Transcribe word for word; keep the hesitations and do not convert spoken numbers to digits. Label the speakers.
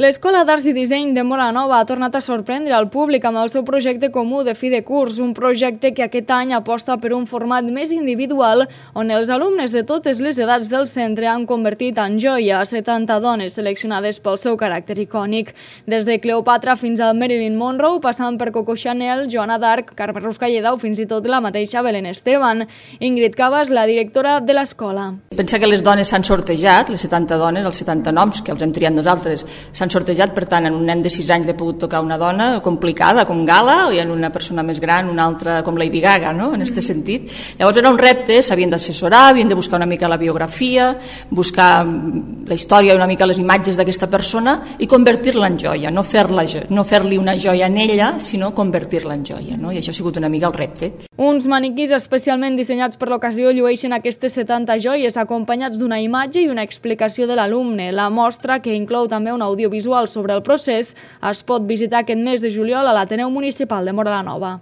Speaker 1: L'Escola d'Arts i Disseny de Móra la Nova ha tornat a sorprendre el públic amb el seu projecte comú de fi de curs, un projecte que aquest any aposta per un format més individual on els alumnes de totes les edats del centre han convertit en joia a setanta dones seleccionades pel seu caràcter icònic. Des de Cleopatra fins a Marilyn Monroe, passant per Coco Chanel, Joana d'Arc, Carme Ruscalleda o fins i tot la mateixa Belén Esteban. Ingrid Cabas, la directora de l'escola.
Speaker 2: Pensa que les dones s'han sortejat, les setanta dones, els setanta noms que els hem triat nosaltres, s'han sortejat, per tant, en un nen de sis anys li ha pogut tocar una dona complicada, com Gala, i en una persona més gran, una altra com Lady Gaga, no?, en aquest sentit. Llavors era un repte, s'havien d'assessorar, havien de buscar una mica la biografia, buscar la història i una mica les imatges d'aquesta persona i convertir-la en joia, no fer-la, no fer-li una joia en ella, sinó convertir-la en joia, no? I això ha sigut una mica el repte.
Speaker 1: Uns maniquís especialment dissenyats per l'ocasió llueixen aquestes setanta joies acompanyats d'una imatge i una explicació de l'alumne. La mostra, que inclou també un audiovisual sobre el procés, es pot visitar aquest mes de juliol a l'Ateneu Municipal de Móra la Nova.